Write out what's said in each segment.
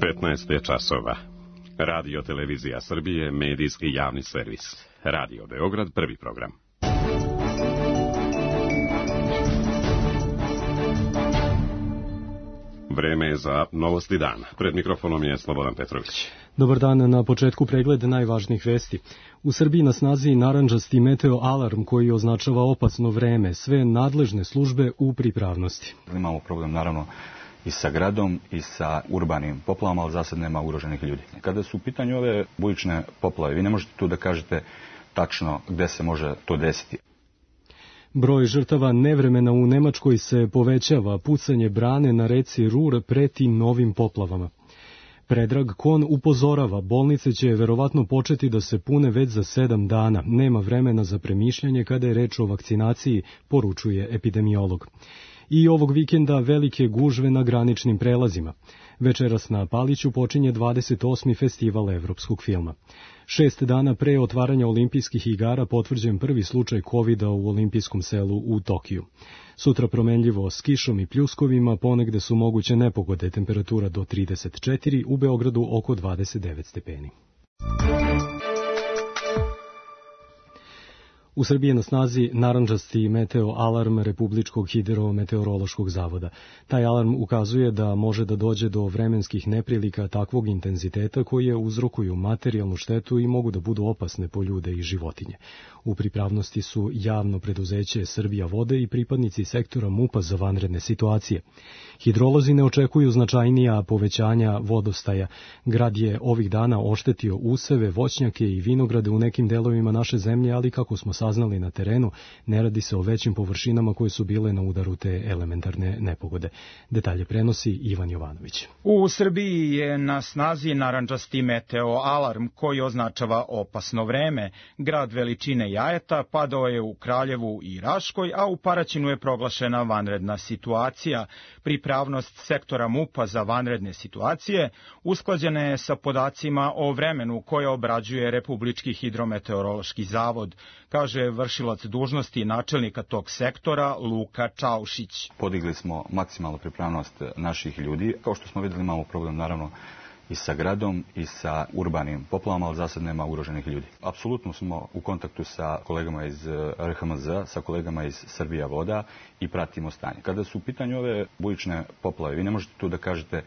15 je časova. Radio Televizija Srbije, medijski javni servis. Radio Beograd, prvi program. Vreme je za novosti dana. Pred mikrofonom je Slobodan Petrović. Dobar dan, na početku pregled najvažnijih vesti. U Srbiji na snazi narandžasti meteo alarm koji označava opasno vreme. Sve nadležne službe u pripravnosti. Imamo problem naravno i sa gradom i sa urbanim poplavama, ali za sad nema ugroženih ljudi. Kada su u pitanju ove bujične poplave, vi ne možete tu da kažete tačno gde se može to desiti. Broj žrtava nevremena u Nemačkoj se povećava, pucanje brane na reci Rur preti novim poplavama. Predrag Kon upozorava, bolnice će verovatno početi da se pune već za 7 dana. Nema vremena za premišljanje kada je reč o vakcinaciji, poručuje epidemiolog. I ovog vikenda velike gužve na graničnim prelazima. Večeras na Paliću počinje 28. festival evropskog filma. 6 dana pre otvaranja olimpijskih igara potvrđen prvi slučaj COVID-a u olimpijskom selu u Tokiju. Sutra promenljivo s kišom i pljuskovima, ponegde su moguće nepogode, temperatura do 34, u Beogradu oko 29 stepeni. U Srbiji je na snazi narandžasti meteo alarm Republičkog hidrometeorološkog zavoda. Taj alarm ukazuje da može da dođe do vremenskih neprilika takvog intenziteta koje uzrokuju materijalnu štetu i mogu da budu opasne po ljude i životinje. U pripravnosti su javno preduzeće Srbija vode i pripadnici sektora MUP-a za vanredne situacije. Hidrolozi ne očekuju značajnija povećanja vodostaja. Grad je ovih dana oštetio useve, voćnjake i vinograde u nekim delovima naše zemlje, ali kako smo saznali na terenu, ne radi se o većim površinama koje su bile na udaru te elementarne nepogode. Detalje prenosi Ivan Jovanović. U Srbiji je na snazi narandžasti meteo alarm koji označava opasno vreme. Grad veličine Jajeta padao je u Kraljevu i Raškoj, a u Paraćinu je proglašena vanredna situacija. Pripravnost sektora MUP-a za vanredne situacije usklađena je sa podacima o vremenu koje obrađuje Republički hidrometeorološki zavod, kaže vršilac dužnosti načelnika tog sektora Luka Čaušić. Podigli smo maksimalnu pripravnost naših ljudi. Kao što smo videli, imamo problem naravno i sa gradom i sa urbanim poplavama, ali za sad nema ugroženih ljudi. Apsolutno smo u kontaktu sa kolegama iz RHMZ, sa kolegama iz Srbija voda i pratimo stanje. Kada su u pitanju ove bujične poplave, vi ne možete tu da kažete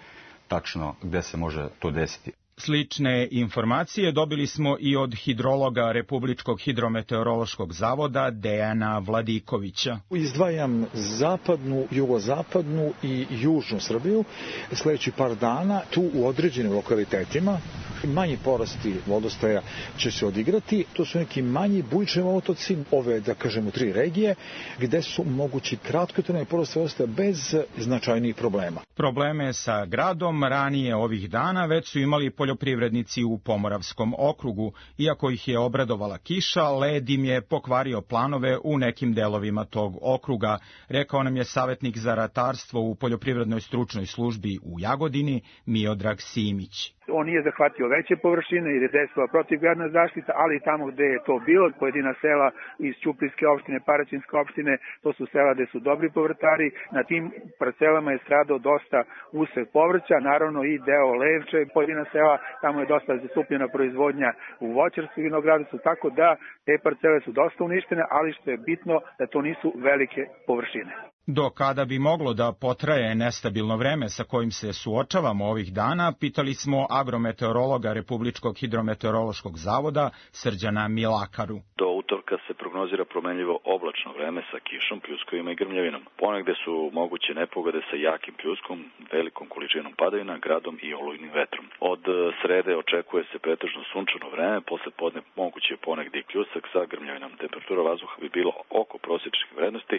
tačno gde se može to desiti. Slične informacije dobili smo i od hidrologa Republičkog hidrometeorološkog zavoda Dejana Vladikovića. Izdvajam zapadnu, jugozapadnu i južnu Srbiju. Sljedeći par dana tu u određenim lokalitetima manji porasti vodostaja će se odigrati. To su neki manji bujični otoci, ove, da kažemo, 3 regije, gde su mogući kratkotrajni porasti vodostaja bez značajnih problema. Probleme sa gradom ranije ovih dana već su imali poljoprivrednici u Pomoravskom okrugu. Iako ih je obradovala kiša, led im je pokvario planove u nekim delovima tog okruga, rekao nam je savjetnik za ratarstvo u poljoprivrednoj stručnoj službi u Jagodini, Miodrag Simić. On nije zahvatio veće površine jer je dejstvovala protivgradna zaštita, ali tamo gde je to bilo, pojedina sela iz Ćuprijske opštine, Paraćinske opštine, to su sela gde su dobri povrtari. Na tim parcelama je stradao dosta usev povrća, naravno i deo levče, pojedina sela, tamo je dosta zastupljena proizvodnja u voćarskom vinogradstvu, tako da te parcele su dosta uništene, ali što je bitno da to nisu velike površine. Do kada bi moglo da potraje nestabilno vreme sa kojim se suočavamo ovih dana, pitali smo agrometeorologa Republičkog hidrometeorološkog zavoda Srđana Milakaru. Do utorka se prognozira promenljivo oblačno vreme sa kišom, pljuskovima i grmljavinom. Ponegde su moguće nepogode sa jakim pljuskom, velikom količinom padavina, gradom i olujnim vetrom. Od srede očekuje se pretežno sunčano vreme, posle podne moguće je ponegde i pljusak sa grmljavinom. Temperatura vazduha bi bila oko prosječnih vrednosti,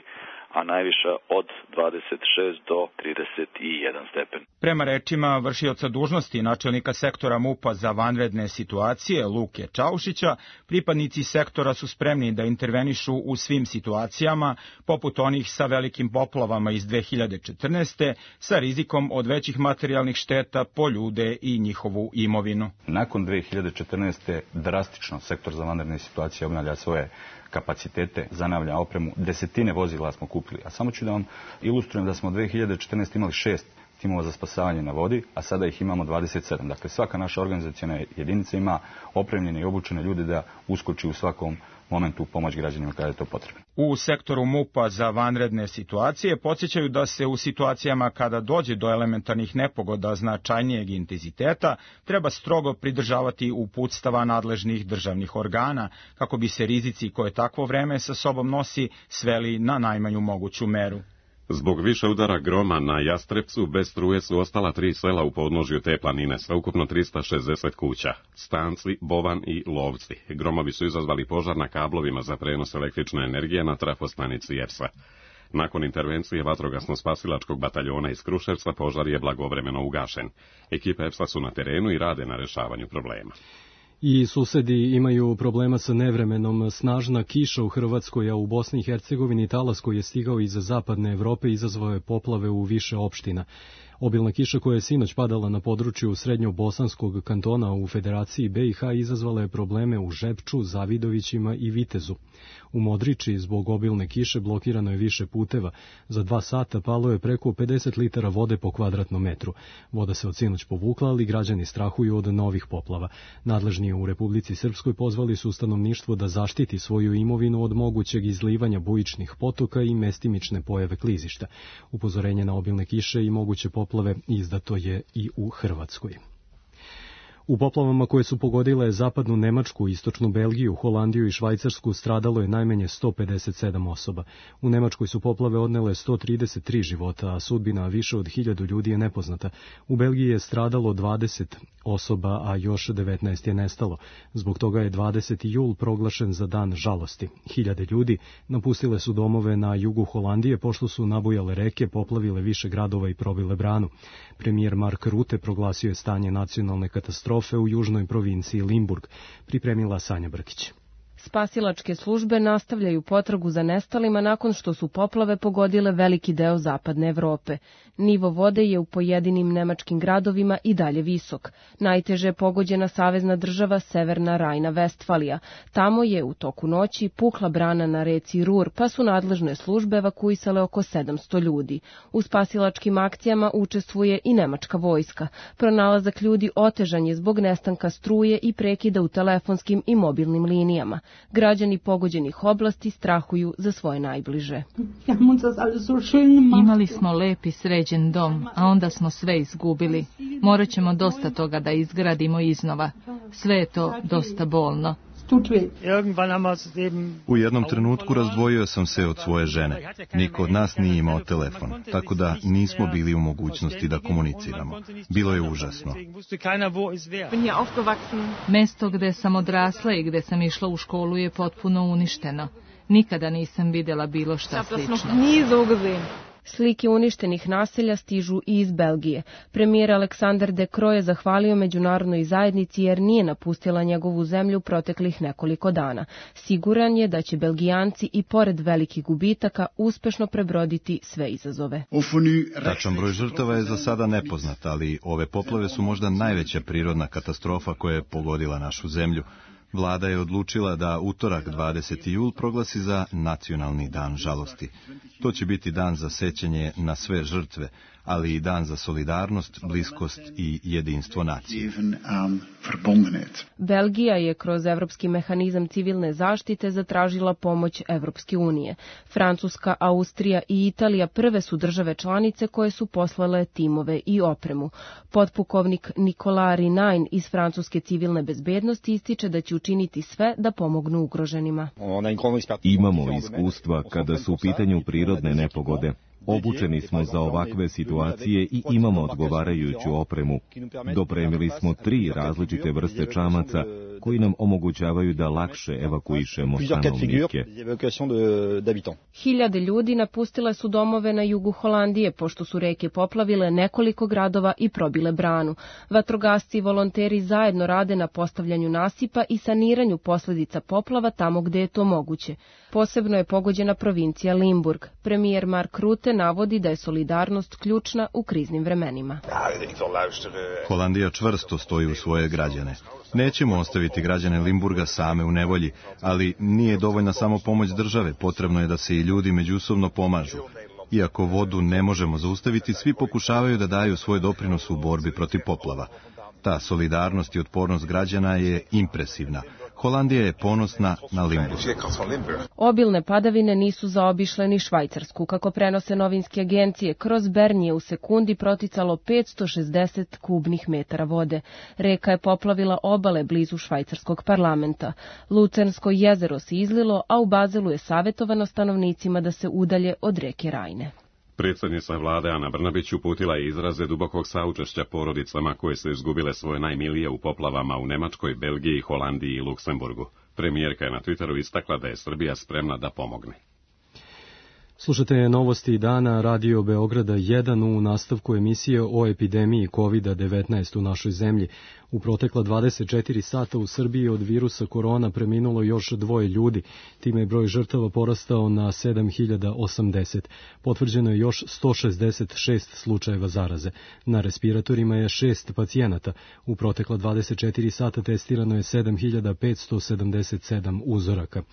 a najviša od 26 do 31 stepen. Prema rečima vršioca dužnosti načelnika sektora MUP-a za vanredne situacije Luke Čaušića, pripadnici sektora su spremni da intervenišu u svim situacijama, poput onih sa velikim poplavama iz 2014. sa rizikom od većih materijalnih šteta po ljude i njihovu imovinu. Nakon 2014. drastično sektor za vanredne situacije obnavlja svoje kapacitete, zanavlja opremu, desetine vozila smo kupili. A samo ću da vam ilustrujem da smo 2014. imali 6 timova za spasavanje na vodi, a sada ih imamo 27. Dakle, svaka naša organizacijona jedinica ima opremljene i obučene ljude da uskoči u svakom momentu pomoć građanima kada je to potrebno. U sektoru MUP-a za vanredne situacije podsjećaju da se u situacijama kada dođe do elementarnih nepogoda značajnijeg intenziteta treba strogo pridržavati uputstava nadležnih državnih organa kako bi se rizici koje takvo vreme sa sobom nosi sveli na najmanju moguću meru. Zbog više udara groma na Jastrepcu bez struje su ostala 3 sela u podnožju te planine, sveukupno 360 kuća, Stanci, Bovan i Lovci. Gromovi su izazvali požar na kablovima za prenos električne energije na trafostanici EPS-a. Nakon intervencije vatrogasno-spasilačkog bataljona iz Kruševca požar je blagovremeno ugašen. Ekipe EPS-a su na terenu i rade na rešavanju problema. I susedi imaju problema sa nevremenom. Snažna kiša u Hrvatskoj, a u Bosni i Hercegovini talas koji je stigao iz zapadne Evrope izazvao je poplave u više opština. Obilna kiša koja je sinoć padala na području srednjobosanskog kantona u Federaciji BiH izazvala je probleme u Žepču, Zavidovićima i Vitezu. U Modriči zbog obilne kiše blokirano je više puteva. Za 2 sata palo je preko 50 litara vode po kvadratnom metru. Voda se od sinoć povukla, ali građani strahuju od novih poplava. Nadležni u Republici Srpskoj pozvali su stanovništvo da zaštiti svoju imovinu od mogućeg izlivanja bujičnih potoka i mestimične pojave klizišta. Upozorenje na obilne kiše i moguće poplave izdato je i u Hrvatskoj. U poplavama koje su pogodile zapadnu Nemačku, istočnu Belgiju, Holandiju i Švajcarsku stradalo je najmanje 157 osoba. U Nemačkoj su poplave odnele 133 života, a sudbina više od 1000 ljudi je nepoznata. U Belgiji je stradalo 20 osoba, a još 19 je nestalo. Zbog toga je 20. jul proglašen za dan žalosti. 1000 ljudi napustile su domove na jugu Holandije pošto su nabujale reke, poplavile više gradova i probile branu. Premijer Mark Rutte proglasio je stanje nacionalne katastrofe u južnoj provinciji Limburg, pripremila Sanja Brkić. Spasilačke službe nastavljaju potragu za nestalima nakon što su poplave pogodile veliki deo zapadne Evrope. Nivo vode je u pojedinim nemačkim gradovima i dalje visok. Najteže je pogođena savezna država Severna Rajna-Vestfalija. Tamo je u toku noći pukla brana na reci Rur, pa su nadležne službe evakuisale oko 700 ljudi. U spasilačkim akcijama učestvuje i nemačka vojska. Pronalazak ljudi otežan je zbog nestanka struje i prekida u telefonskim i mobilnim linijama. Građani pogođenih oblasti strahuju za svoje najbliže. Imali smo lep i sređen dom, a onda smo sve izgubili. Morat ćemo dosta toga da izgradimo iznova. Sve je to dosta bolno. U jednom trenutku razdvojio sam se od svoje žene. Niko od nas nije imao telefon, tako da nismo bili u mogućnosti da komuniciramo. Bilo je užasno. Mesto gde sam odrasla i gde sam išla u školu je potpuno uništeno. Nikada nisam vidjela bilo šta slično. Slike uništenih naselja stižu i iz Belgije. Premijer Aleksandar De Croo je zahvalio međunarodnoj zajednici jer nije napustila njegovu zemlju proteklih nekoliko dana. Siguran je da će Belgijanci i pored velikih gubitaka uspešno prebroditi sve izazove. Tačan broj žrtava je za sada nepoznat, ali ove poplave su možda najveća prirodna katastrofa koja je pogodila našu zemlju. Vlada je odlučila da utorak 20. jul proglasi za nacionalni dan žalosti. To će biti dan za sećanje na sve žrtve, ali i dan za solidarnost, bliskost i jedinstvo nacije. Belgija je kroz Evropski mehanizam civilne zaštite zatražila pomoć Evropske unije. Francuska, Austrija i Italija prve su države članice koje su poslale timove i opremu. Potpukovnik Nicolas Rinain iz Francuske civilne bezbednosti ističe da će učiniti sve da pomognu ugroženima. Imamo iskustva kada su u pitanju prirodne nepogode. Obučeni smo za ovakve situacije i imamo odgovarajuću opremu. Dopremili smo 3 različite vrste čamaca koji nam omogućavaju da lakše evakuišemo stanovnike. 1000 ljudi napustile su domove na jugu Holandije pošto su reke poplavile nekoliko gradova i probile branu. Vatrogasci i volonteri zajedno rade na postavljanju nasipa i saniranju posljedica poplava tamo gde je to moguće. Posebno je pogođena provincija Limburg. Premijer Mark Rutte navodi da je solidarnost ključna u kriznim vremenima. Holandija čvrsto stoji u svoje građane. Nećemo ostaviti građane Limburga same u nevolji, ali nije dovoljna samo pomoć države, potrebno je da se i ljudi međusobno pomažu. Iako vodu ne možemo zaustaviti, svi pokušavaju da daju svoj doprinos u borbi protiv poplava. Ta solidarnost i otpornost građana je impresivna. Holandija je ponosna na Limburg. Obilne padavine nisu zaobišle ni Švajcarsku. Kako prenose novinske agencije, kroz Bern je u sekundi proticalo 560 kubnih metara vode. Reka je poplavila obale blizu švajcarskog parlamenta. Lucernsko jezero se izlilo, a u Bazelu je savjetovano stanovnicima da se udalje od reke Rajne. Predsjednica vlade Ana Brnabić uputila je izraze dubokog saučešća porodicama koje su izgubile svoje najmilije u poplavama u Nemačkoj, Belgiji, Holandiji i Luksemburgu. Premijerka je na Twitteru istakla da je Srbija spremna da pomogne. Slušate novosti dana Radio Beograda 1 u nastavku emisije o epidemiji COVID-19 u našoj zemlji. U protekla 24 sata u Srbiji od virusa korona preminulo još 2 ljudi. Time je broj žrtava porastao na 7080. Potvrđeno je još 166 slučajeva zaraze. Na respiratorima je 6 pacijenata. U protekla 24 sata testirano je 7577 uzoraka.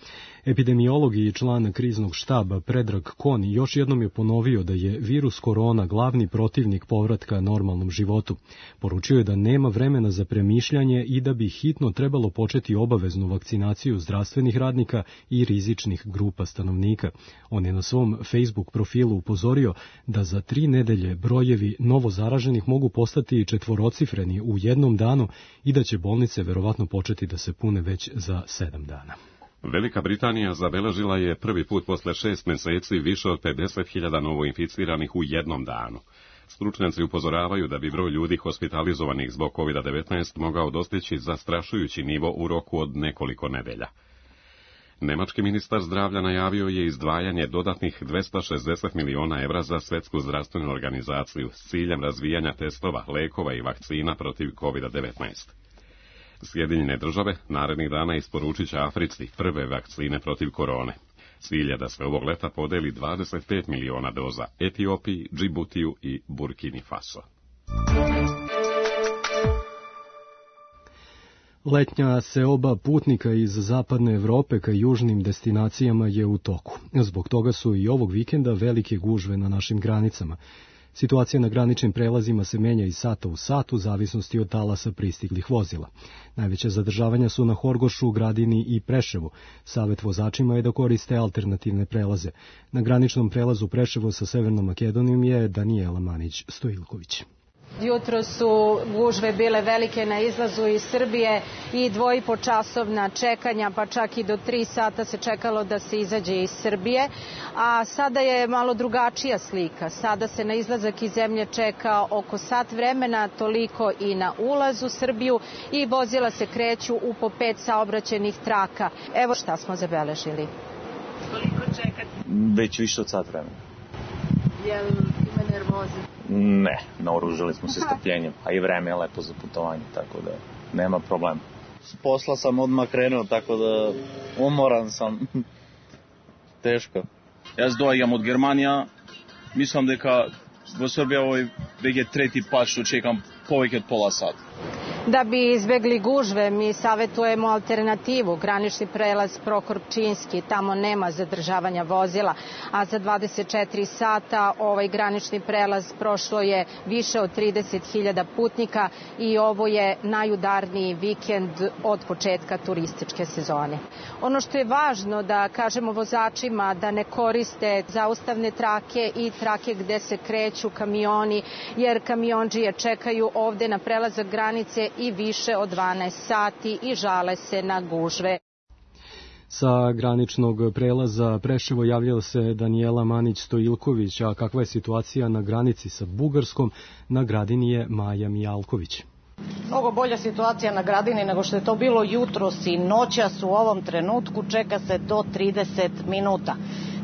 Epidemiolog i član kriznog štaba Predrag Kon još jednom je ponovio da je virus korona glavni protivnik povratka normalnom životu. Poručio je da nema vremena za premišljanje i da bi hitno trebalo početi obaveznu vakcinaciju zdravstvenih radnika i rizičnih grupa stanovnika. On je na svom Facebook profilu upozorio da za 3 nedelje brojevi novozaraženih mogu postati 4-cifreni u jednom danu i da će bolnice verovatno početi da se pune već za 7 dana. Velika Britanija zabeležila je prvi put posle 6 meseci više od 50.000 novoinficiranih u jednom danu. Stručnjaci upozoravaju da bi broj ljudi hospitalizovanih zbog COVID-19 mogao dostići zastrašujući nivo u roku od nekoliko nedelja. Nemački ministar zdravlja najavio je izdvajanje dodatnih 260 miliona evra za Svetsku zdravstvenu organizaciju s ciljem razvijanja testova, lekova i vakcina protiv COVID-19. Sjedinjene države narednih dana isporučit će Africi prve vakcine protiv korone. Cilj je da se ovog leta podeli 25 miliona doza Etiopiji, Džibutiju i Burkini Faso. Letnja seoba putnika iz zapadne Evrope ka južnim destinacijama je u toku. Zbog toga su i ovog vikenda velike gužve na našim granicama. Situacija na graničnim prelazima se menja iz sata u sat u zavisnosti od talasa pristiglih vozila. Najveća zadržavanja su na Horgošu, Gradini i Preševu. Savet vozačima je da koriste alternativne prelaze. Na graničnom prelazu Preševo sa Severnom Makedonijom je Danijela Manić-Stojilković. Jutro su gužve bile velike na izlazu iz Srbije i 2,5-časovna čekanja, pa čak i do 3 sata se čekalo da se izađe iz Srbije. A sada je malo drugačija slika. Sada se na izlazak iz zemlje čeka oko sat vremena, toliko i na ulaz u Srbiju i vozila se kreću u po 5 saobraćajnih traka. Evo šta smo zabeležili. Koliko čekate? Već više od sat vremena. Jel ima nervoze? Ne, naoružali smo se strpljenjem, a i vreme je lepo za putovanje, tako da nema problema. S posla sam odmah krenuo, tako da umoran sam. Teško. Jaz dođem od Germanija, mislim da v Srbiji ovo je već tretji put što čekam povijek od pola sata. Da bi izbegli gužve, mi savjetujemo alternativu, granični prelaz Prokorčinski, tamo nema zadržavanja vozila, a za 24 sata ovaj granični prelaz prošlo je više od 30.000 putnika i ovo je najudarniji vikend od početka turističke sezone. Ono što je važno da kažemo vozačima da ne koriste zaustavne trake i trake gde se kreću kamioni, jer kamiondžije čekaju ovde na prelazak granice i više od 12 sati i žale se na gužve. Sa graničnog prelaza Preševo javljala se Danijela Manić-Stojilković, a kakva je situacija na granici sa Bugarskom, na Gradini je Maja Mijalković. Mnogo bolja situacija na Gradini nego što je to bilo jutros i noćas. U ovom trenutku čeka se do 30 minuta.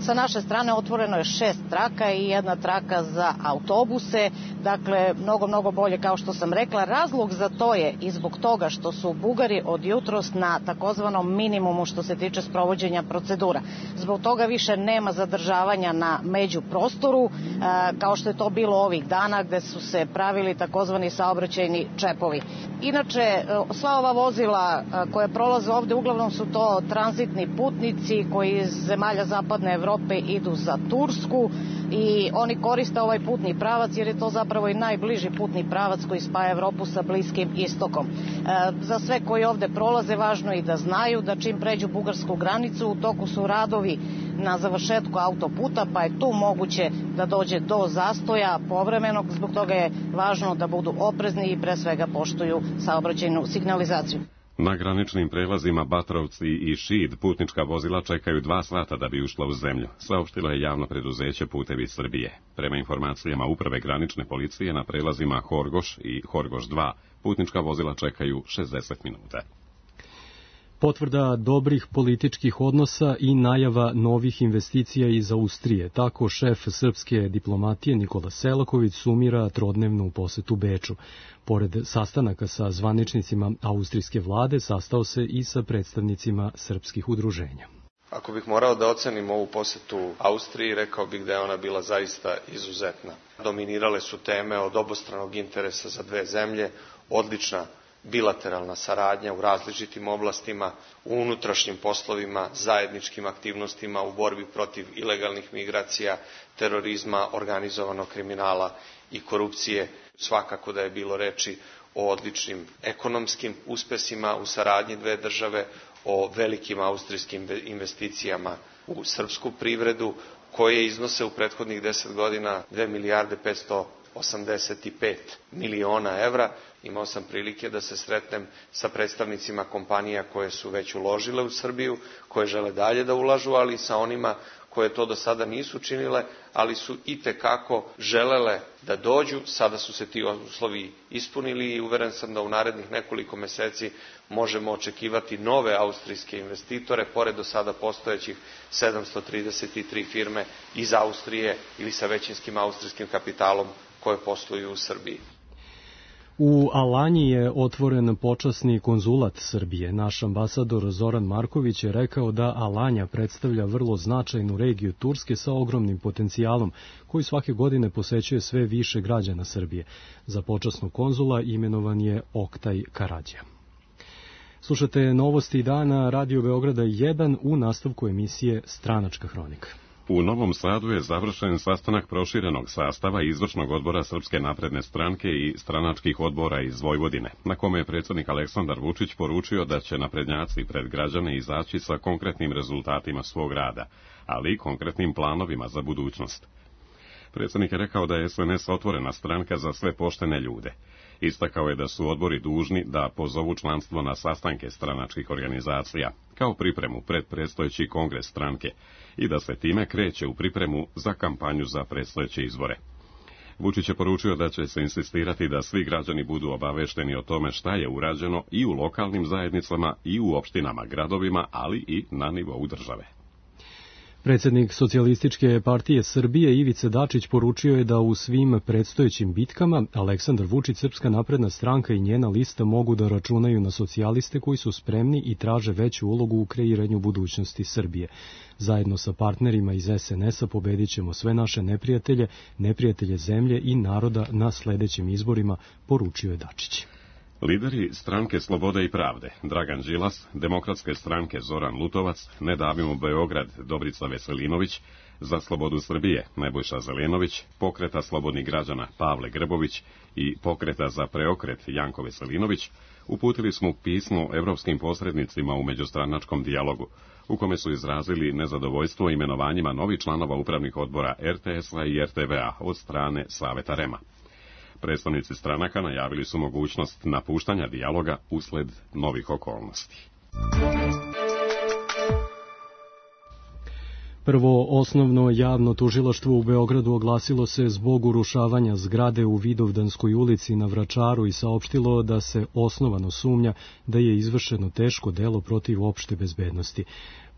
Sa naše strane otvoreno je 6 traka i 1 traka za autobuse, dakle mnogo bolje kao što sam rekla. Razlog za to je i zbog toga što su Bugari od jutros na takozvanom minimumu što se tiče sprovođenja procedura. Zbog toga više nema zadržavanja na međuprostoru, kao što je to bilo ovih dana gde su se pravili takozvani saobraćajni čepovi. Inače, sva ova vozila koja prolaze ovde uglavnom su to tranzitni putnici koji iz zemalja zapadne Evrope idu za Tursku. i oni koriste ovaj putni pravac jer je to zapravo i najbliži putni pravac koji spaja Evropu sa Bliskim istokom. Za sve koji ovde prolaze važno je i da znaju da čim pređu bugarsku granicu u toku su radovi na završetku autoputa, pa je tu moguće da dođe do zastoja povremenog, zbog toga je važno da budu oprezni i pre svega poštuju saobraćajnu signalizaciju. Na graničnim prelazima Batrovci i Šid putnička vozila čekaju 2 sata da bi ušla u zemlju, saopštilo je javno preduzeće Putevi Srbije. Prema informacijama Uprave granične policije na prelazima Horgoš i Horgoš 2 putnička vozila čekaju 60 minuta. Potvrda dobrih političkih odnosa i najava novih investicija iz Austrije. Tako šef srpske diplomatije Nikola Selaković sumira trodnevnu posetu Beču. Pored sastanaka sa zvaničnicima austrijske vlade, sastao se i sa predstavnicima srpskih udruženja. Ako bih morao da ocenim ovu posetu Austriji, rekao bih da je ona bila zaista izuzetna. Dominirale su teme od obostranog interesa za dve zemlje, odlična bilateralna saradnja u različitim oblastima, u unutrašnjim poslovima, zajedničkim aktivnostima u borbi protiv ilegalnih migracija, terorizma, organizovanog kriminala i korupcije. Svakako da je bilo reči o odličnim ekonomskim uspesima u saradnji dve države, o velikim austrijskim investicijama u srpsku privredu, koje iznose u prethodnih 10 godina 2 milijarde 585 miliona evra. Imao sam prilike da se sretnem sa predstavnicima kompanija koje su već uložile u Srbiju, koje žele dalje da ulažu, ali i sa onima koje to do sada nisu činile, ali su itekako želele da dođu. Sada su se ti uslovi ispunili i uveren sam da u narednih nekoliko meseci možemo očekivati nove austrijske investitore, pored do sada postojećih 733 firme iz Austrije ili sa većinskim austrijskim kapitalom koje posluju u Srbiji. U Alanji je otvoren počasni konzulat Srbije. Naš ambasador Zoran Marković je rekao da Alanja predstavlja vrlo značajnu regiju Turske sa ogromnim potencijalom, koji svake godine posećuje sve više građana Srbije. Za počasnog konzula imenovan je Oktaj Karadžija. Slušate novosti dana Radio Beograda 1 u nastavku emisije Stranačka hronika. U Novom Sadu je završen sastanak proširenog sastava izvršnog odbora Srpske napredne stranke i stranačkih odbora iz Vojvodine, na kome je predsjednik Aleksandar Vučić poručio da će naprednjaci pred građane izaći sa konkretnim rezultatima svog rada, ali i konkretnim planovima za budućnost. Predsjednik je rekao da je SNS otvorena stranka za sve poštene ljude. Istakao je da su odbori dužni da pozovu članstvo na sastanke stranačkih organizacija, kao pripremu pred predstojeći kongres stranke, i da se time kreće u pripremu za kampanju za predstojeće izbore. Vučić je poručio da će se insistirati da svi građani budu obavešteni o tome šta je urađeno i u lokalnim zajednicama i u opštinama, gradovima, ali i na nivou države. Predsjednik Socijalističke partije Srbije Ivica Dačić poručio je da u svim predstojećim bitkama Aleksandar Vučić, Srpska napredna stranka i njena lista mogu da računaju na socijaliste koji su spremni i traže veću ulogu u kreiranju budućnosti Srbije. Zajedno sa partnerima iz SNS-a pobedit ćemo sve naše neprijatelje, neprijatelje zemlje i naroda na sledećim izborima, poručio je Dačić. Lideri stranke Slobode i pravde, Dragan Đilas, Demokratske stranke Zoran Lutovac, Ne davimo Beograd, Dobrica Veselinović, Za slobodu Srbije, Nebojša Zelenović, Pokreta slobodnih građana, Pavle Grbović i Pokreta za preokret, Janko Veselinović, uputili smo pismo evropskim posrednicima u međustranačkom dijalogu, u kome su izrazili nezadovoljstvo imenovanjima novih članova upravnih odbora RTS-a i RTV-a od strane Saveta REM-a. Predstavnici stranaka najavili su mogućnost napuštanja dijaloga usled novih okolnosti. Prvo osnovno javno tužilaštvo u Beogradu oglasilo se zbog urušavanja zgrade u Vidovdanskoj ulici na Vračaru i saopštilo da se osnovano sumnja da je izvršeno teško delo protiv opšte bezbednosti.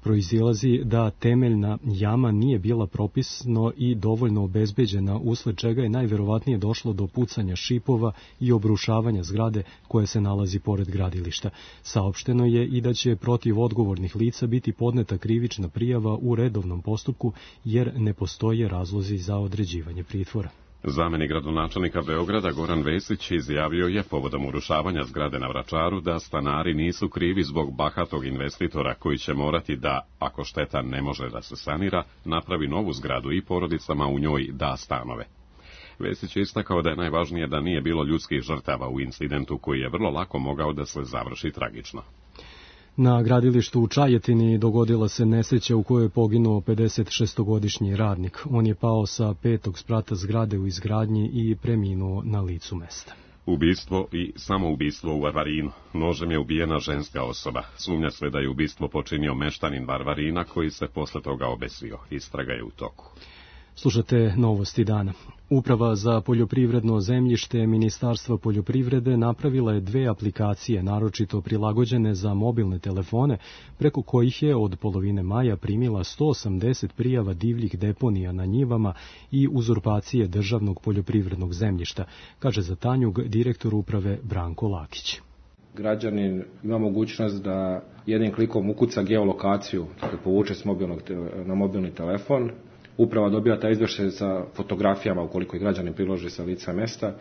Proizilazi da temeljna jama nije bila propisno i dovoljno obezbeđena, usled čega je najverovatnije došlo do pucanja šipova i obrušavanja zgrade koje se nalazi pored gradilišta. Saopšteno je i da će protiv odgovornih lica biti podneta krivična prijava u redovnom postupku, jer ne postoje razlozi za određivanje pritvora. Zamenik gradonačelnika Beograda Goran Vesić izjavio je povodom urušavanja zgrade na Vračaru da stanari nisu krivi zbog bahatog investitora koji će morati da, ako šteta ne može da se sanira, napravi novu zgradu i porodicama u njoj da stanove. Vesić je istakao da je najvažnije da nije bilo ljudskih žrtava u incidentu koji je vrlo lako mogao da se završi tragično. Na gradilištu u Čajetini dogodila se nesreća u kojoj je poginuo 56-godišnji radnik. On je pao sa 5. sprata zgrade u izgradnji i preminuo na licu mesta. Ubistvo i samoubistvo u Varvarinu. Nožem je ubijena ženska osoba. Sumnja se da je ubistvo počinio meštanin Varvarina koji se posle toga obesio. Istraga je u toku. Slušate novosti dana. Uprava za poljoprivredno zemljište Ministarstva poljoprivrede napravila je 2 aplikacije, naročito prilagođene za mobilne telefone, preko kojih je od polovine maja primila 180 prijava divljih deponija na njivama i uzurpacije državnog poljoprivrednog zemljišta, kaže za Tanjug direktor uprave Branko Lakić. Građanin ima mogućnost da jednim klikom ukuca geolokaciju, dakle povuče na mobilni telefon. Uprava dobija taj izvještaj sa fotografijama ukoliko je građanin priloži sa lica mesta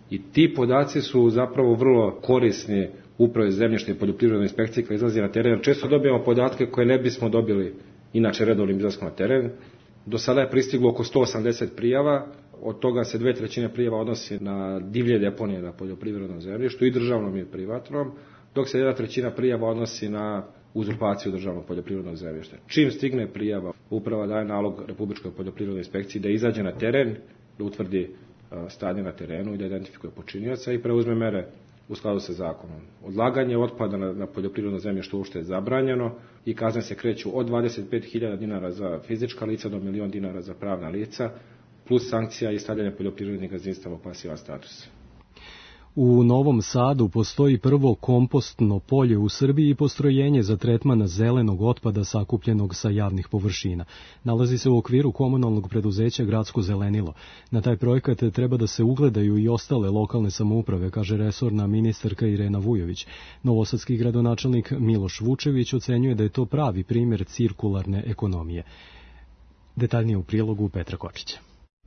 i ti podaci su zapravo vrlo korisni upravi zemljišne i poljoprivrednoj inspekciji koja izlazi na teren. Često dobijamo podatke koje ne bismo dobili inače redovnim izlaskom na teren. Do sada je pristiglo oko 180 prijava, od toga se 2/3 prijava odnosi na divlje deponije na poljoprivrednom zemljištu i državnom i privatnom, dok se 1/3 prijava odnosi na uzurpaciju državnog poljoprivrednog zemljišta. Čim stigne prijava, uprava daje nalog Republičkoj poljoprivrednoj inspekciji da izađe na teren, da utvrdi stanje na terenu i da identifikuje počinioca i preuzme mere u skladu sa zakonom. Odlaganje otpada na poljoprivredno zemljište uopšte je zabranjeno i kazne se kreću od 25.000 dinara za fizička lica do 1.000.000 dinara za pravna lica, plus sankcija i stavljanje poljoprivrednih gazdinstava u pasivan status. U Novom Sadu postoji prvo kompostno polje u Srbiji i postrojenje za tretman zelenog otpada sakupljenog sa javnih površina. Nalazi se u okviru komunalnog preduzeća Gradsko zelenilo. Na taj projekat treba da se ugledaju i ostale lokalne samouprave, kaže resorna ministarka Irena Vujović. Novosadski gradonačelnik Miloš Vučević ocenjuje da je to pravi primjer cirkularne ekonomije. Detaljnije u prilogu Petra Kočića.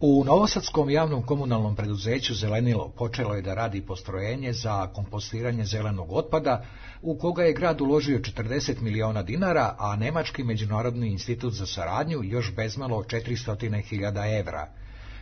U Novosadskom javnom komunalnom preduzeću Zelenilo počelo je da radi postrojenje za kompostiranje zelenog otpada, u koga je grad uložio 40 miliona dinara, a Nemački međunarodni institut za saradnju još bezmalo 400.000 evra.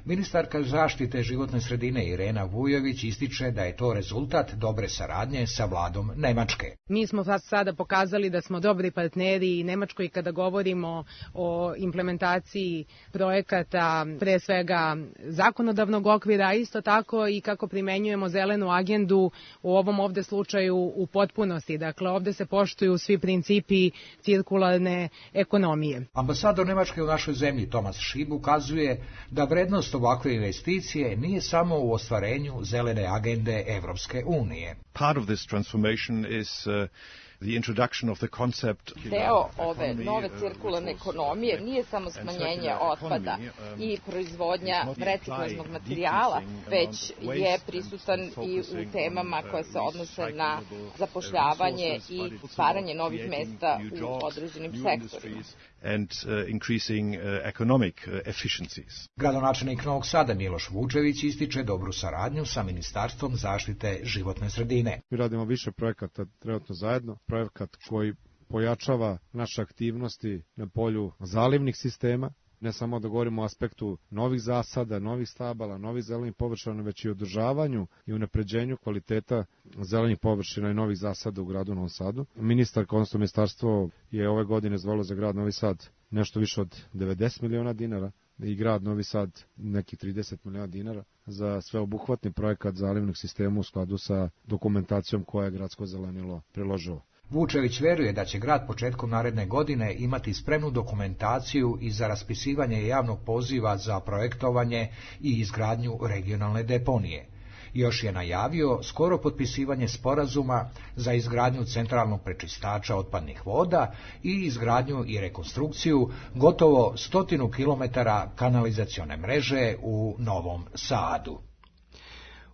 Ministarka zaštite životne sredine Irena Vujović ističe da je to rezultat dobre saradnje sa vladom Nemačke. Mi smo sada pokazali da smo dobri partneri i Nemačkoj kada govorimo o implementaciji projekata, pre svega zakonodavnog okvira, a isto tako i kako primenjujemo zelenu agendu u ovom ovde slučaju u potpunosti. Dakle, ovde se poštuju svi principi cirkularne ekonomije. Ambasador Nemačke u našoj zemlji Tomas Šib ukazuje da vrednost ovakve investicije nije samo u ostvarenju zelene agende Evropske unije. Part of this transformation is the introduction of the concept. Deo ove nove cirkularne ekonomije nije samo smanjenje otpada i proizvodnja reciklažnog materijala, već je prisutan i u temama koje se odnose na zapošljavanje i stvaranje novih mesta u određenim sektorima. And increasing economic efficiencies. Gradonačelnik Novog Sada Miloš Vučević ističe dobru saradnju sa Ministarstvom zaštite životne sredine. Mi radimo više projekata trenutno zajedno, projekat koji pojačava naše aktivnosti na polju zalivnih sistema, ne samo da govorimo o aspektu novih zasada, novih stabala, novih zelenih površina, već i održavanju i unapređenju kvaliteta zelenih površina i novih zasada u gradu Novom Sadu. Ministarka, odnosno ministarstvo, je ove godine izdvojilo za grad Novi Sad nešto više od 90 miliona dinara i grad Novi Sad nekih 30 miliona dinara za sveobuhvatni projekat zalivnog sistema u skladu sa dokumentacijom koja je Gradsko zelenilo priložilo. Vučević veruje da će grad početkom naredne godine imati spremnu dokumentaciju i za raspisivanje javnog poziva za projektovanje i izgradnju regionalne deponije. Još je najavio skoro potpisivanje sporazuma za izgradnju centralnog prečistača otpadnih voda i izgradnju i rekonstrukciju gotovo 100 kilometara kanalizacione mreže u Novom Sadu.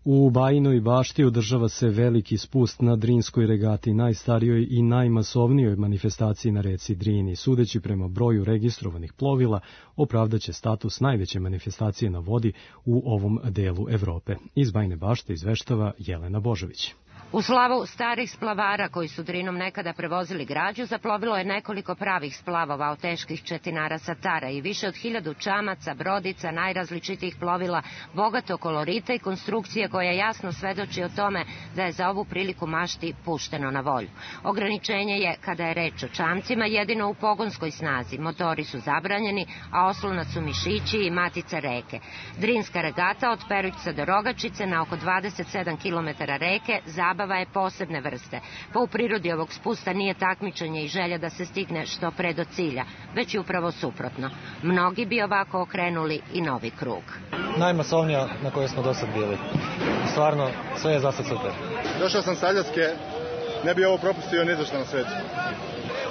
U Bajinoj Bašti održava se veliki spust na Drinskoj regati, najstarijoj i najmasovnijoj manifestaciji na reci Drini. Sudeći prema broju registrovanih plovila, opravdaće status najveće manifestacije na vodi u ovom delu Evrope. Iz Bajine Bašte izveštava Jelena Božović. U slavu starih splavara koji su Drinom nekada prevozili građu, zaplovilo je nekoliko pravih splavova od teških četinara sa Tara i više od 1000 čamaca, brodica, najrazličitijih plovila, bogato kolorita i konstrukcije koja jasno svedoči o tome da je za ovu priliku mašti pušteno na volju. Ograničenje je, kada je reč o čamcima, jedino u pogonskoj snazi. Motori su zabranjeni, a oslonac su mišići i matica reke. Drinska regata od Perućca do Rogačice na oko 27 km reke zabava je posebne vrste. Pa u prirodi ovog spusta nije takmičenje i želja da se stigne što pre do cilja, već je upravo suprotno. Mnogi bi ovako okrenuli i novi krug. Najmasovnija na kojoj smo do sad bili. Stvarno, sve je za sad super. Došao sam s Aljaske, ne bi ovo propustio ni za što na svetu.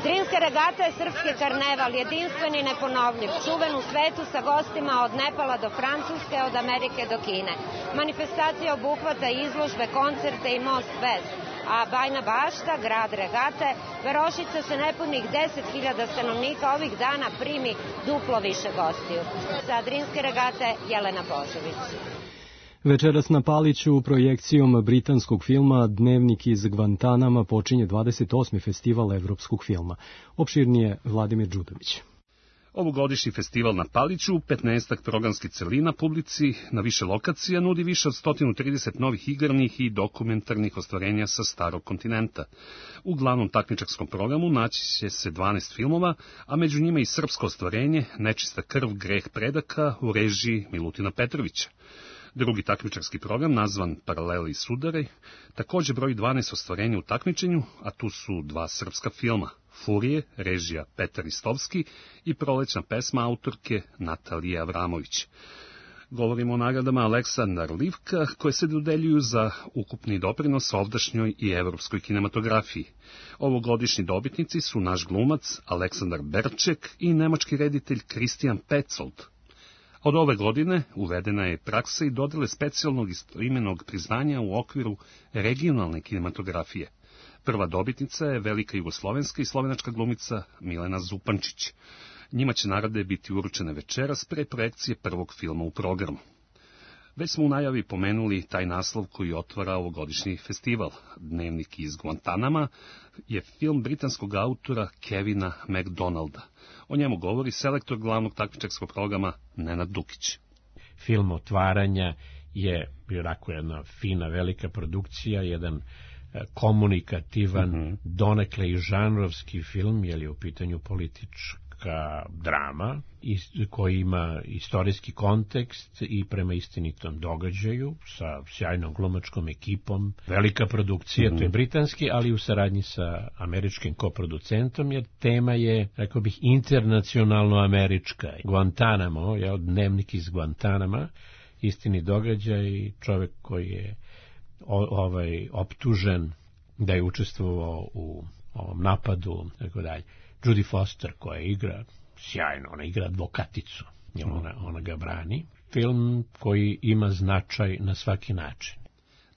Drinska regata je srpski karneval, jedinstven i neponovljiv, čuven u svetu sa gostima od Nepala do Francuske, od Amerike do Kine. Manifestacija obuhvata izložbe, koncerte i most vez, a Bajina Bašta, grad regate, Verošica sa nepunih 10.000 stanovnika ovih dana primi duplo više gostiju. Sa Drinske regate, Jelena Božović. Večeras na Paliću projekcijom britanskog filma Dnevnik iz Gvantanama počinje 28. festival evropskog filma. Opširnije Vladimir Đudović. Ovogodišnji festival na Paliću, 15 programskih celina publici na više lokacija nudi više od 130 novih igranih i dokumentarnih ostvarenja sa starog kontinenta. U glavnom takmičarskom programu naći će se 12 filmova, a među njima i srpsko ostvarenje Nečista krv, greh predaka u režiji Milutina Petrovića. Drugi takmičarski program, nazvan Paraleli i sudari, također broji 12 ostvarenja u takmičenju, a tu su 2 srpska filma, Furije, režija Petar Istovski i Prolećna pesma autorke Natalije Avramović. Govorimo o nagradama Aleksandar Livka, koje se dodeljuju za ukupni doprinos ovdašnjoj i evropskoj kinematografiji. Ovogodišnji dobitnici su naš glumac Aleksandar Berček i nemački reditelj Christian Petzold. Od ove godine uvedena je praksa i dodele specijalnog istoimenog priznanja u okviru regionalne kinematografije. Prva dobitnica je velika jugoslovenska i slovenačka glumica Milena Zupančić. Njima će nagrade biti uručene večeras pre projekcije prvog filma u programu. Već smo u najavi pomenuli taj naslov koji otvara ovogodišnji festival. Dnevnik iz Guantanama je film britanskog autora Kevina MacDonalda. O njemu govori selektor glavnog takmičarskog programa Nenad Dukić. Film otvaranja je onako jedna fina, velika produkcija, jedan komunikativan, donekle i žanrovski film, jer je u pitanju politička drama koji ima istorijski kontekst i prema istinitom događaju sa sjajnom glumačkom ekipom. Velika produkcija, to je britanski, ali u saradnji sa američkim koproducentom, jer tema je, rekao bih, internacionalno američka. Guantanamo, Dnevnik iz Guantanama, istini događaj, čovjek koji je optužen da je učestvovao u ovom napadu, tako dalje. Judy Foster koja igra sjajno, ona igra advokaticu, ona ga brani. Film koji ima značaj na svaki način.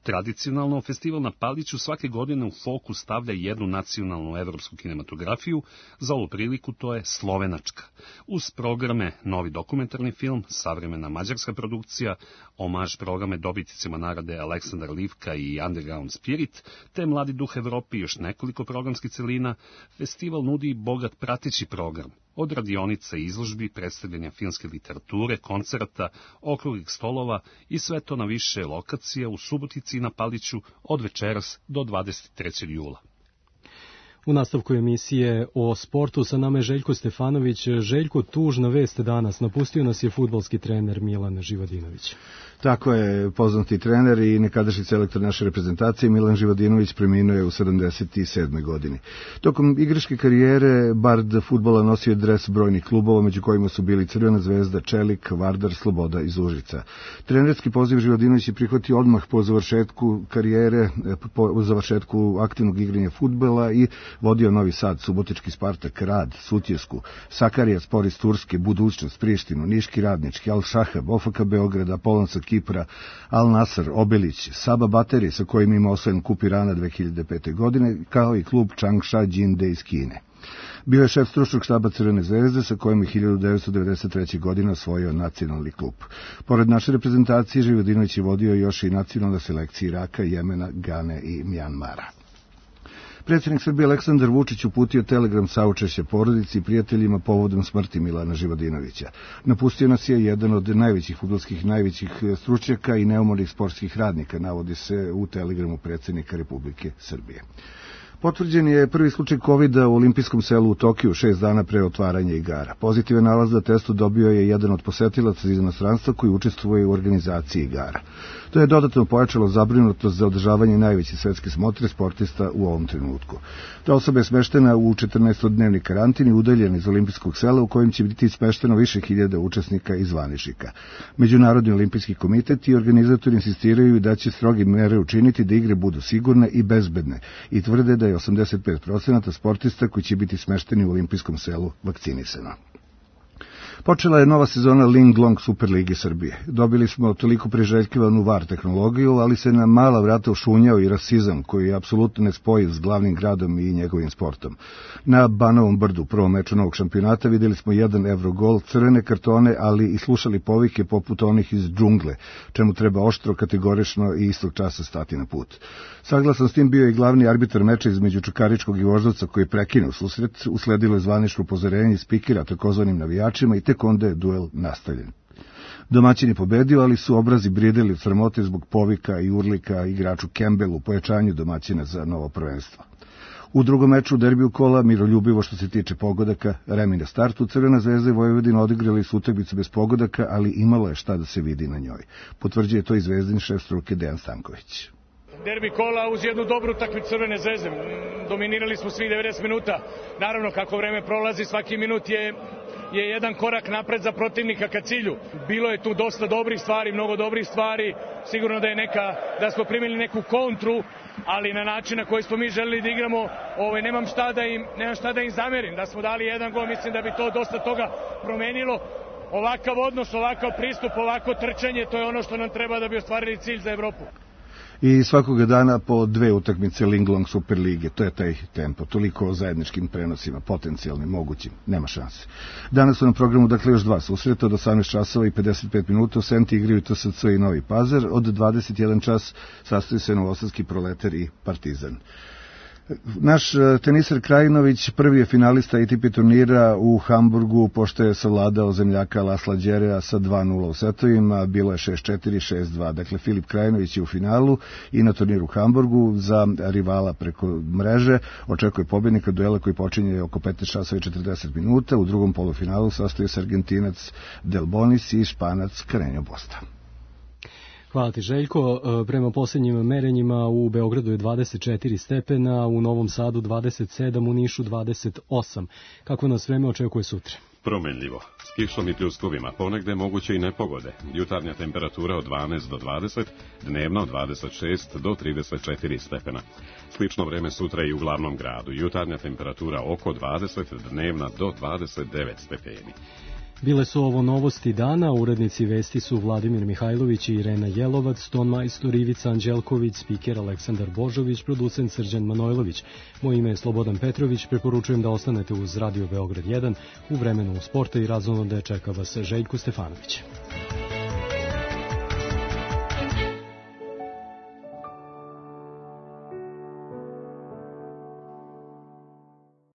Tradicionalno, festival na Paliću svake godine u fokus stavlja jednu nacionalnu evropsku kinematografiju, za ovu priliku to je slovenačka. Uz programe novi dokumentarni film, savremena mađarska produkcija, omaž programe dobitnicima nagrade Aleksandar Livka i Underground Spirit, te Mladi duh Evrope i još nekoliko programskih celina, festival nudi bogat prateći program. Od radionica i izložbi, predstavljanja filmske literature, koncerata, okruglih stolova i sve to na više lokacija u Subotici i na Paliću od večeras do 23. jula. U nastavku emisije o sportu sa nama je Željko Stefanović. Željko, tužna vest danas. Napustio nas je fudbalski trener Milan Živodinović. Tako je, poznati trener i nekadašnji selektor naše reprezentacije Milan Živodinović preminuo je u 77. godini. Tokom igračke karijere bard fudbala nosio je dres brojnih klubova, među kojima su bili Crvena zvezda, Čelik, Vardar, Sloboda iz Užica. Trenerski poziv Živodinović je prihvatio odmah po završetku karijere, po završetku aktivnog igranja fudbala i vodio Novi Sad, Subotički Spartak, Rad, Sutjesku, Sakarija Spor iz Turske, Budućnost, Prištinu, Niški Radnički, Al Šahab, OFK Beograd, Apollon sa Kipra, Al Nasr, Obelić, Saba Bateri sa kojim ima osvojen kup Irana 2005. godine, kao i klub Changsha Jinde iz Kine. Bio je šef stručnog štaba Crvene zvezde sa kojim je 1993. godine osvojio nacionalni klub. Pored naše reprezentacije, Živodinović je vodio još i nacionalne selekcije Iraka, Jemena, Gane i Mjanmara. Predsjednik Srbije Aleksandar Vučić uputio telegram saučešća porodici i prijateljima povodom smrti Milana Živodinovića. Napustio nas je jedan od najvećih fudbalskih, najvećih stručnjaka i neumornih sportskih radnika, navodi se u telegramu predsjednika Republike Srbije. Potvrđen je prvi slučaj COVID-a u olimpijskom selu u Tokiju 6 dana pre otvaranja igara. Pozitivan nalaz na testu dobio je jedan od posetilaca iz inostranstva koji učestvuje u organizaciji igara. To je dodatno pojačalo zabrinutost za održavanje najveće svetske smotre sportista u ovom trenutku. Ta osoba je smeštena u 14-dnevni karantin i udaljena iz olimpijskog sela u kojem će biti smešteno više hiljada učesnika i zvaničnika. Međunarodni olimpijski komitet i organizatori insistiraju da će stroge mere učiniti da igre budu sigurne i bezbedne i tvrde da je 85% sportista koji će biti smešteni u olimpijskom selu vakcinisano. Počela je nova sezona Ling Long Superlige Srbije. Dobili smo toliko priželjkivanu VAR tehnologiju, ali se na mala vrata ušunjao i rasizam, koji je apsolutno nespojiv s glavnim gradom i njegovim sportom. Na Banovom Brdu, u prvom meču novog šampionata, videli smo 1 Evrogol, crvene kartone, ali i slušali povike poput onih iz džungle, čemu treba oštro, kategorično i istog časa stati na put. Saglasan s tim bio i glavni arbitar meča između Čukaričkog i Voždovca koji je prekinuo susret, usledilo je zvanično upozorenje spikera takozvanim navijačima i tek onda je duel nastavljen. Domaćin je pobedio, ali su obrazi brideli od sramote zbog povika i urlika igraču Campbellu u pojačanju domaćina za novo prvenstvo. U drugom meču derbiju kola, miroljubivo što se tiče pogodaka, remi na startu, Crvena zvezda i Vojvodina odigrali su utakmicu bez pogodaka, ali imalo je šta da se vidi na njoj. Potvrđuje to i zvezdin šef struke Dejan Stanković. Derbi kola uz jednu dobru utakmicu Crvene zvezde. Dominirali smo svi 90 minuta. Naravno, kako vreme prolazi, svaki minut je jedan korak napred za protivnika ka cilju. Bilo je tu dosta dobrih stvari, mnogo dobrih stvari. Sigurno da smo primili neku kontru, ali na način na koji smo mi želeli da igramo, nemam šta da im zamerim. Da smo dali jedan gol, mislim da bi to dosta toga promenilo. Ovakav odnos, ovakav pristup, ovako trčanje, to je ono što nam treba da bi ostvarili cilj za Evropu. I svakoga dana po 2 utakmice Ling Long Superlige, to je taj tempo, toliko o zajedničkim prenosima, potencijalnim, mogućim, nema šanse. Danas su na programu još 2 susreta, od 18 časova i 55 minuta u Senti igraju TSC i Novi Pazar, od 21 čas sastoji se Novosadski Proletar i Partizan. Naš teniser Krajinović prvi je finalista ATP turnira u Hamburgu, pošto je savladao zemljaka Lasla Đerea sa 2-0 u setovima, bilo je 6-4, 6-2. Dakle, Filip Krajinović je u finalu i na turniru u Hamburgu za rivala preko mreže. Očekuje pobjednika duela koji počinje oko 15 časova i 40 minuta. U drugom polufinalu sastoji se Argentinac Del Bonis i Španac Carreño Busta. Hvala ti, Željko. Prema posljednjim merenjima u Beogradu je 24 stepena, u Novom Sadu 27, u Nišu 28. Kako nas vreme očekuje sutra? Promenljivo, s kišom i pljuskovima, ponegde moguće i nepogode. Jutarnja temperatura od 12 do 20, dnevna od 26 do 34 stepena. Slično vreme sutra i u glavnom gradu. Jutarnja temperatura oko 20, dnevna do 29 stepeni. Bile su ovo novosti dana, urednici vesti su Vladimir Mihajlović i Irena Jelovac, ton majstor Ivica Anđelković, spiker Aleksandar Božović, producent Srđan Manojlović. Moje ime je Slobodan Petrović, preporučujem da ostanete uz Radio Beograd 1, u vremenu sporta i razonode čeka vas Željko Stefanović.